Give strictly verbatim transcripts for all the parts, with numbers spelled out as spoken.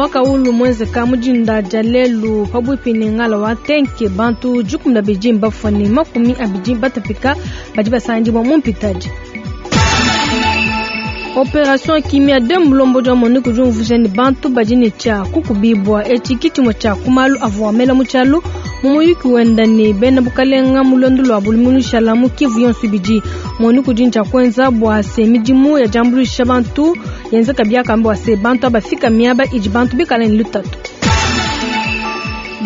Njiwu kaulu muenzeka mu dinda dia lelu pabuipi ne ngala wa Tenke, bantu dikumi na babidi mbafua ne makumi abidi batapika badi basangidibua mu mpitadi. Operation Kimia deux mulombodi wa MONUC udi umvuija ne bantu badi ne tshia kukubibua. Etshi ki tshimue tshia ku malu avua mela mu tshialu mu muyuki wenda ne bena bukalenga mu luendu lua lumingu lushala mu Kivu yonso ibidi. MONUC udi ne tshia kuenza bua se midimu ya diambuluisha bantu yenzeka biakamba bua se bantu abafika miaba idi bantu bikale ne lutatu.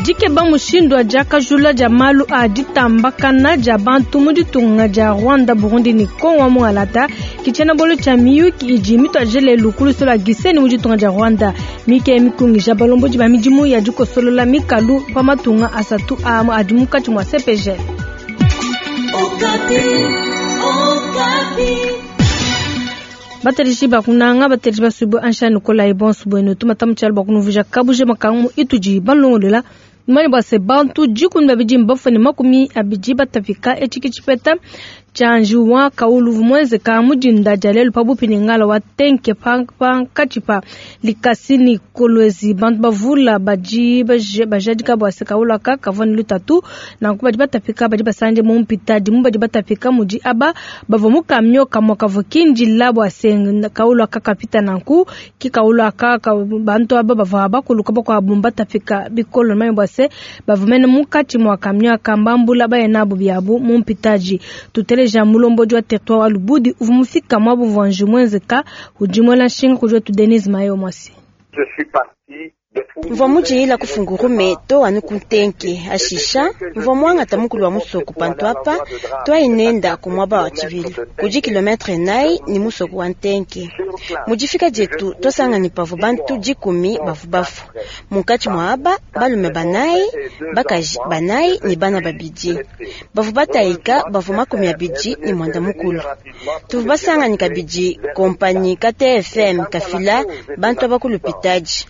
Dikeba mushindu wa diakajula dia malu a ditambakana dia bantu mu ditunga dia Rwanda, Burundi ne Kongo wa Mungalata ke tshiena-bualu tshia miyuki idi mituadije lelu ku luseke lua Gisenyi mu ditunga dia Rwanda. Miyuki eyi mikungija balombodi ba midimu ya dikosolola mikalu pa matunga asatu a adi munkatshi mua C P G L. Bateleji ba kunanga, bateleji basuibue ansha Nikolai bonso buenu tumata mu tshialu bua kunuvuija kabuje makangu itudi balongolola. Mane bua se bantu dikumi na babidi mbafue ne makumi abidi batapika. Etshi ke tshipeta tshia njiwu wa kaulu muenzeka mu dinda dia lelu pabuipi ne ngala wa Tenke pankatshi pa Likasi ne Kolwezi. Bantu bavula badi baje-, bajadika bua se kaulu aka kavua ne lutatu, nanku badi batapika badi basanje mu mpitadi. Mu badi batapika mudi aba bavua mu kamio kamue kavua kindila bua se kaulu aka kapita, nanku ki kaulu aka ka, bantu aba bavua bakuluka bakuabu mbatapika bikole. Mane bua se bavua mene munkatshi mua kamio aka mbambula baye nabu biabu mu mpitadi. Tuteleja mulombodi wa territoire wa Lubudi uvua mufika muabu uvua njiwu muenzeka udi muela nshinga kudi wetu Denise Mayo Mwasi. Je suis parti Mvua mujiyila kufungurume to anu kuntenke ashisha mvua mwangata mukulu wa musoko pantu apa twainenda ku mwaba wa tshivili kudi kilometre nai ni musoko wa ntenke. Mujifika dietu twasangani pavu bantu dikumi bavu bafu munkatshi mwa aba balume banayi bakaji banayi ni bana babidi bavu batayika bavu makumi abidi ni mwanda mukulu. Tuvu basangani kabidi kompanyi ka T F M kafila bantu abakulupitaji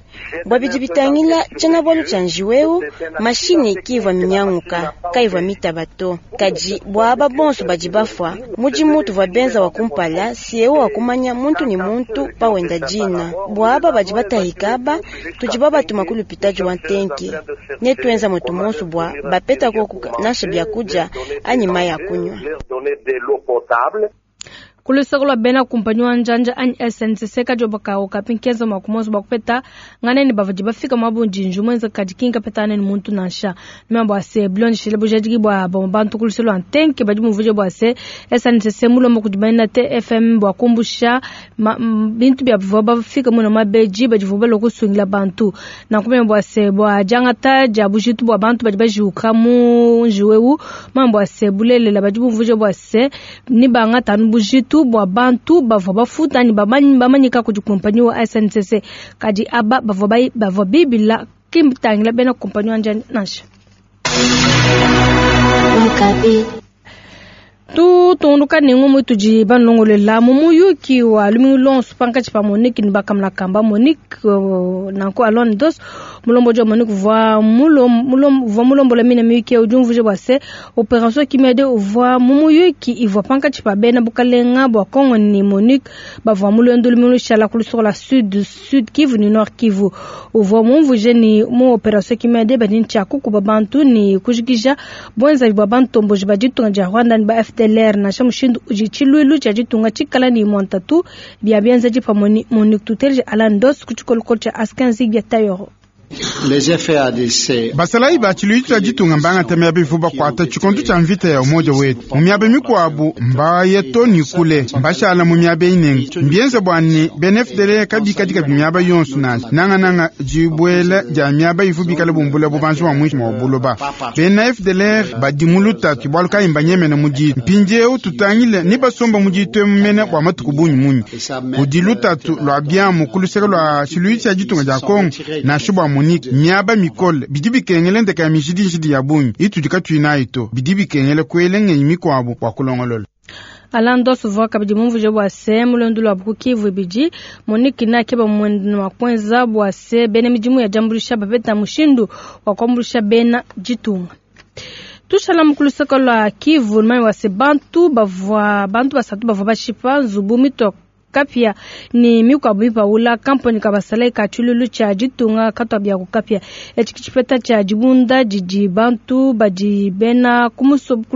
bwa bidi bitangila tshiena-bualu tshia njiwu mashini kivua minyanguka kaivua mitaba to. Kadi bua aba bonso badi bafua mudimu tuvua benza wa kumpala si eu wa kumanya muntu ni muntu pa wenda dina. Bua aba badi batahika aba tudi babatuma kulupitaji wa ntenke ne tuenza mwetu monso bua bapeta koku nansha biakudia anyi mayi a kunywa. Kulusaka lwa bena kumpanyi wa njanja anyi S N C C kajoba ka okapi nkenza mwa kumonso bua kupeta ngane ne bavadi bafika mwa bunji nju mwenza kadi kinga peta ne muntu nansha. Mwa bua se blonde shile bujadiki bua ba bantu kulusaka lwa ntenke badi muvuje bua se S N C C mulomba kudi bena T F M bua kumbusha ma, m, bintu bia bavua bafika muna mabeji badi vua balo kusungila bantu. Na kumenya bua se bua jangata dia bujitu bua bantu badi bajuka mu njuwewu mwa bua se bulelela badi muvuje bua se ni bangata nu bujitu bua bantu bavua bafuta ni bamanyi, bamanyika kudi kompanyi wa S N C C. Kadi aba bavua bai, bavua bibila kimtangila bena kompanyi wa njani nansha. Tu tunduka ne ngumu tudi banongolela mu muyuki wa lumingu lonso pankatshi pa Monique ni bakamla kamba Monique, uh, nanko Alon Dos mulombodi wa Monique vwa mulom-, mulom-, vwa mulombola mina miyuki udi umvuija bua se operation Kimia deux uvua mu muyuki ivua pankatshi pa bena bukalenga bua Kongo ni Monique bavua mu luendu lumingu lushala ku lusoko la Sud, Sud Kivu ni Nord Kivu. Uvua mumvuje ni mu operation Kimia deux badi ntshia kukuba bantu ni kujikija bwenzavi bua bantomboji ba ditunga dia Rwanda ni ba F D L R nansha mushindu udi tshiluilu tshia ditunga tshikala ni mwantatu bia bienzeji pamue ni Monique Tutelje Alan Dos ku tshikolokolo tshia Askin Zigia Tayoro. Les F A D C. Basalayi ba tshiluilu tshia ditunga mbangata miaba ivua bakuata tshikondu tshia mvita ya umoja wetu. Mu miaba mikuabu mbaye to ni kule, mbashala mu miaba inengi. Mbienze bua ne bena F D L kabikadika bi miaba yonso nansha. Nangananga dibuela dia miaba ivua bikale bumbula bubanji bua muinshi mua buloba. Bena F D L badi mu lutatu bualu kayi mbanyemene mu ditu. Mpindiewu tutangile ni basomba mu ditu emu mene bua matuku bungi munyi. Kudi lutatu lua biamu ku luseke lua tshiluilu tshia ditunga dia Kongo nansha bua Monique miaba mikole bidi bikengele ndeka ya mijidijidi ya bungi itudi katuyi nayi to. Bidi bikengele kuela ngenyi mikuabu bua kulongolola. Alain Dos uvua kabidi mumvuje bua se mulondo lua ku Kivu ibidi Monique na keba mwendo wa kwenza bua se bena midimu ya diambuluisha bapeta mushindu wa kuambuluisha bena ditunga. Tushala mukulu soko lua Kivu, mai wa se bantu bavua, bantu basatu bavua bashipa nzubu mito kapia ne mikuabu mipawula kampani ka basalayi ka tshilulu tshia ditunga katwa bia ku kapia. Etshi tshipeta tshia dibunda didi bantu badi bena ku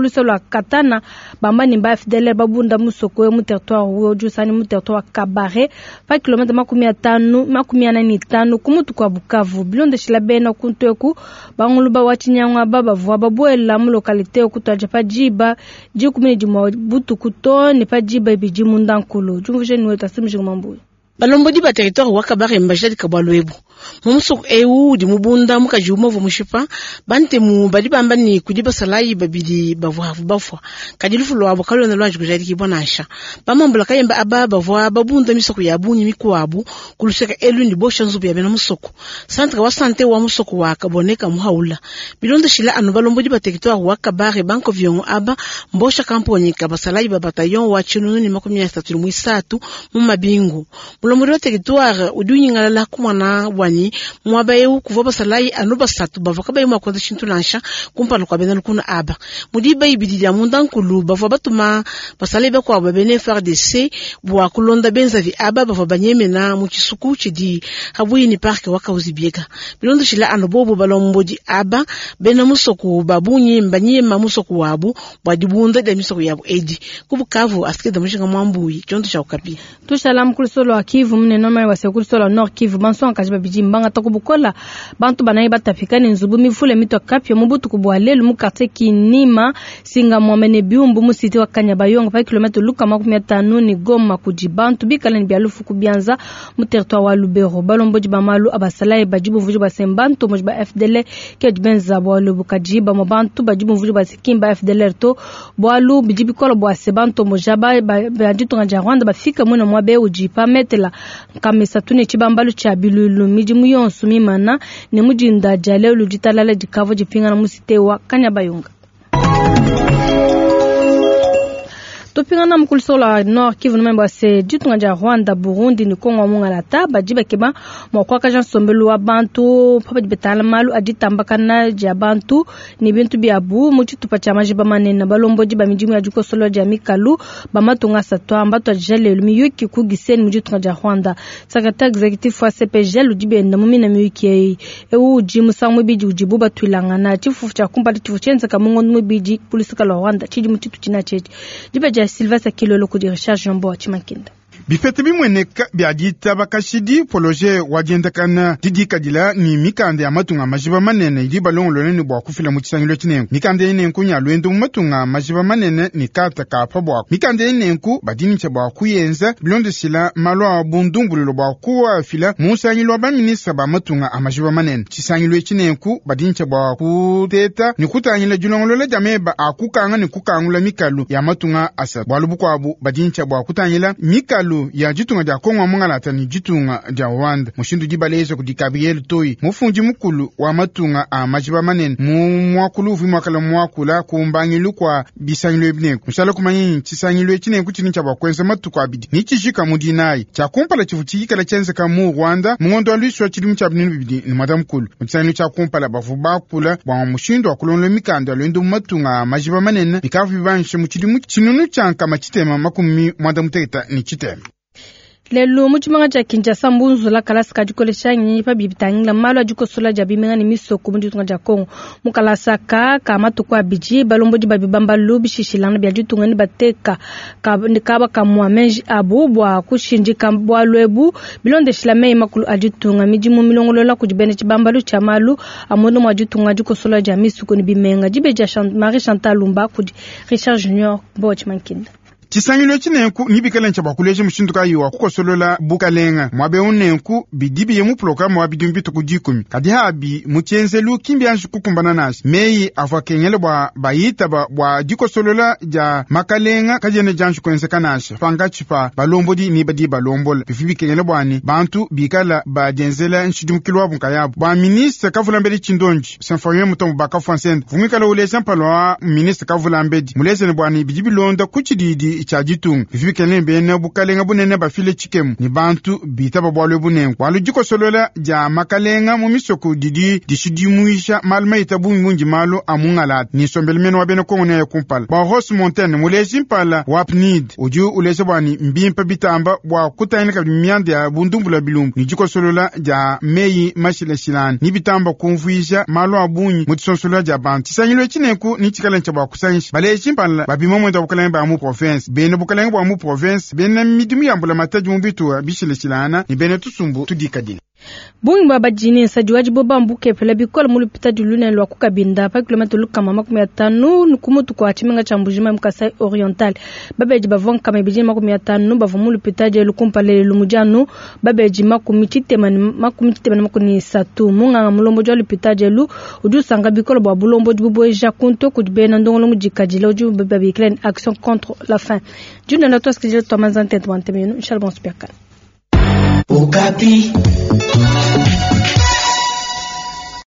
lua Katana bamba ne ba F D L R babunda musoko mu territoire wa Jusani mu territoire wa Kabare pa kilomètre makumi atanu makumi ane ne tanu ku mutu kwa Bukavu. Bilondeshila bena kuntu eku banguluba wa tshinyangwa ba bavua babuela mu localité okutwaja pa diba dikumi ne dimue butuku to ne pa diba ibidi munda nkulu. Diumvuije ni wetu asimije mambuyi. Balombodi ba territoire wa Kabare mbajadika bua lwebu. Mu musoko ewu udi mubunda mukaji umwe uvua mushipa, bantemu badi bamba ni kudi basalayi babidi bavua bafua. Kadi lufu lwabo kalwena lwanji kujadikibwa nansha. Bamambula kayemba aba bavua babunda misoko ya bungi mikuabu kuluseka elu ndi bosha nzubu ya bena musoko. Centre wa santé wa musoko wa Kaboneka muhaula. Bilondeshila anu balombodi ba territoire wa Kabare banko viongo aba mbosha kamponi ka basalayi ba bataillon wa tshinunu ni makumi asatu mu isatu mu mabingu. Mulombodi wa territoire udi unyingalala kumwana bwani mwaba eu kuvua basalayi anu basatu bavua kabayi mua kuenza tshintu nansha kumpala kua bena lukuna aba. Mudi ibidi dia munda nkulu bavua batuma basalayi bakuabu ba bena F R D C bua kulonda benzavi aba bavua banyemena mu tshisuku tshidi habuyi ni parke wa Kauzibiega. Bilondeshila anu bobu balombodi aba bena musoko babunyi mbanyema musoko wabu bua dibunda dia misoko yabu edi. Ku Bukavu asikeda mushinga mwambuyi tshiondo tshia Okapi. Tushala mukulu wa Kivu munene mai wa sekulu solo Nord Kivu banso ankaji babidi mbanga takubukola bantu banayi batafika ne nzubu mivule mitwa kapya mu butuku bwa lelu mu quartier Kinima singa mwamene biumbu mu cité wa Kanyabayonga pa kilomètre luka makumi atanu ni Goma kudi bantu bikala ni bya lufu kubianza mu territoire wa Lubero. Balombodi ba malu abasalayi badi bumvuji ba sembantu mu ba F D L ke benza bwa lubu kajiba mu bantu badi bumvuji ba sikimba F D L R to bwalu bidi bikola bwa sebantu mu jaba ba ditunga dia Rwanda bafika muna mwa be uji pa metela kamisa tune chibambalu cha bilulu midimu yonso mimana ne mudinda dia lelu ditalala dikavo dipingana mu cité wa Kanyabayonga. Topingana mukulu sola Nord Kivu nomba se ditunga dia Rwanda, Burundi ni Kongo mungalata badi bakeba mwa kwa nsombelu wa bantu papa dibetala malu aditambakana dia bantu ni bintu byabu mu tshitupa tshia majiba manene balombodi ba midimu ya dikosolo dia mikalu ba matunga asatu amba twa lelu miyuki ku Gisenyi mu ditunga dia Rwanda. Secrétaire exécutif wa C P G L udi benda mu mina miyuki eyi ewu udi musangu mubidi udibu batwilangana tshifufu tshia kumpala tshifu tshienzeka mu ngondo mubidi kulusika lwa Rwanda tshidi mu tshitu tshina tsheti diba dia Sylvestre Kilolo kudi Richard Jombo Chimakinda. Bifete bimweneka bya ditaba kashidi poloje wadiendakana didikadila ni mikanda ya matunga majiba manene idi balongolole ni bua kufila mu tshisangilo tshinenku. Mikanda yenenku nya lwendo mu matunga majiba manene ni kata kapa bua. Mikanda yenenku badinitsha bua kuyenza bilondeshila malu a bundumbulilo bua kuwafila mu nsangilo wa baministre ba matunga a majiba manene. Tshisangilo tshinenku badinitsha bua kuteta ni kutangila dilongolola dia meba a kukanga ni kukangula mikalu ya matunga asatu. Bualu bukuabu badinitsha bua kutangila mikalu ya ditunga dia Kongo mungalata ni ditunga dia Rwanda. Mushindu dibaleja kudi Gabriel Toyi mufundi mukulu wa matunga a majiba manene mu mwakulu uvi mwakala mwakula kumbangilu kwa bisangilo ebinenku. Mushala kumanyi tshisangilo etshinenku tshini tshia bua matuku abidi ni tshijika mu dinayi tshia kumpala tshivu tshikala tshienzeka mu Rwanda mu ngondo wa lwishi wa tshidimu tshia binunu bibidi ni mwanda mukulu. Mu tshisangilo tshia kumpala bavu bakula bua mushindu wa kulondola mikanda ya lwendo mu matunga a majiba manene bikavu bibanshe mu tshidimu tshinunu tshia nkama tshitema makumi mwanda muteketa ni tshitema. Lelu mu tshimanga tshia Kinshasa mbunzula kalasa ka dikolesha nyi pa bibitangila malu a dikosola dia bimenga ne misoko mu ditunga dia Kongo. Mu kalasa ka ka matuku abidi balombodi ba bibambalu bishishilana bia ditunga ne bateka ka kaba ka mwa menji abu bua kushindika bualu ebu bilondeshila meyi makulu a ditunga midimu milongolola kudi bena tshibambalu tshia malu a muono mua ditunga dikosola dia misoko ne bimenga dibe dia Marie Chantal Lumba kudi Richard Junior Mbo Tshimankinda. Tshisangilo tshinenku nibikala ntshia bua kuleja mushindu kayi wa kukosolola bukalenga mwabe unenku bidibiye mu programu wa bidimu bituku dikumi kadi habi mu tshienzelu kimbi anji kukumbana nasi meyi avua kengele bua bayitaba bua dikosolola dia makalenga kadiene dianji kuenzeka nasha pangatshi pa balombodi ni badi balombola bivi bikengele bwani bantu bikala badienzela nshidimukilu wabu nkayabu bua ministre Kavulambedi Tshindonji Symphorien Mutombo Bakafuansende vumwikala uleja mpalo wa ministre Kavulambedi mulezene bwani bidi bilonda ku tshididi tshia ditunga. Bivi bikene bena bukalenga bunene bafile tshikemu ne bantu bitaba bwalu bunengu. Bwalu dikosolola dia makalenga mu misoko didi dishidimuisha malu maita bungi bungi malu a mungalata ni nsombelu mene wa bena Kongo ne ya kumpala. Bwa Ross Montaigne muleji mpala wa P N I D udi uleja bwa ni mbimpa bitamba bwa kutangila kabidi mianda ya bundumbula bilumbu ni dikosolola dia meyi mashilashilane ni bitamba kumvuija malu a bungi mu disonsolola dia bantu. Tshisangilu etshi nenku ni tshikala ntshia bua kusangisha baleji mpala babima mwenda bukalenge bwa mu province bena bukalenge bwa mu province bena midimu ya mbula matadi mu bituwa bishilashilana ni bena tusumbu tudikadile. Bungi bwa bajini nsadi wa diboba mbukepela bikola mu lupitadi lunene lwa ku Kabinda pa kilomètre lukama makumi atanu ku mutu kwa tshimenga tshia Mbuji-Mayi mu Kasai Oriental. Babedi bavua nkama ibidi ne makumi atanu bavua mu lupitadi elu kumpala lelu mudianu babedi makumi tshitema ne makumi tshitema ne makumi isatu. Munganga mulombodi wa lupitadi elu udi usanga bikola bua bulombodi bubueja kuntu kudi bena ndongolo mudikadile udi babikila ne action contre la faim. Djunda twasikilije twamanza ntente wa ntemenu. Inshallah, bonsoir. Okapi.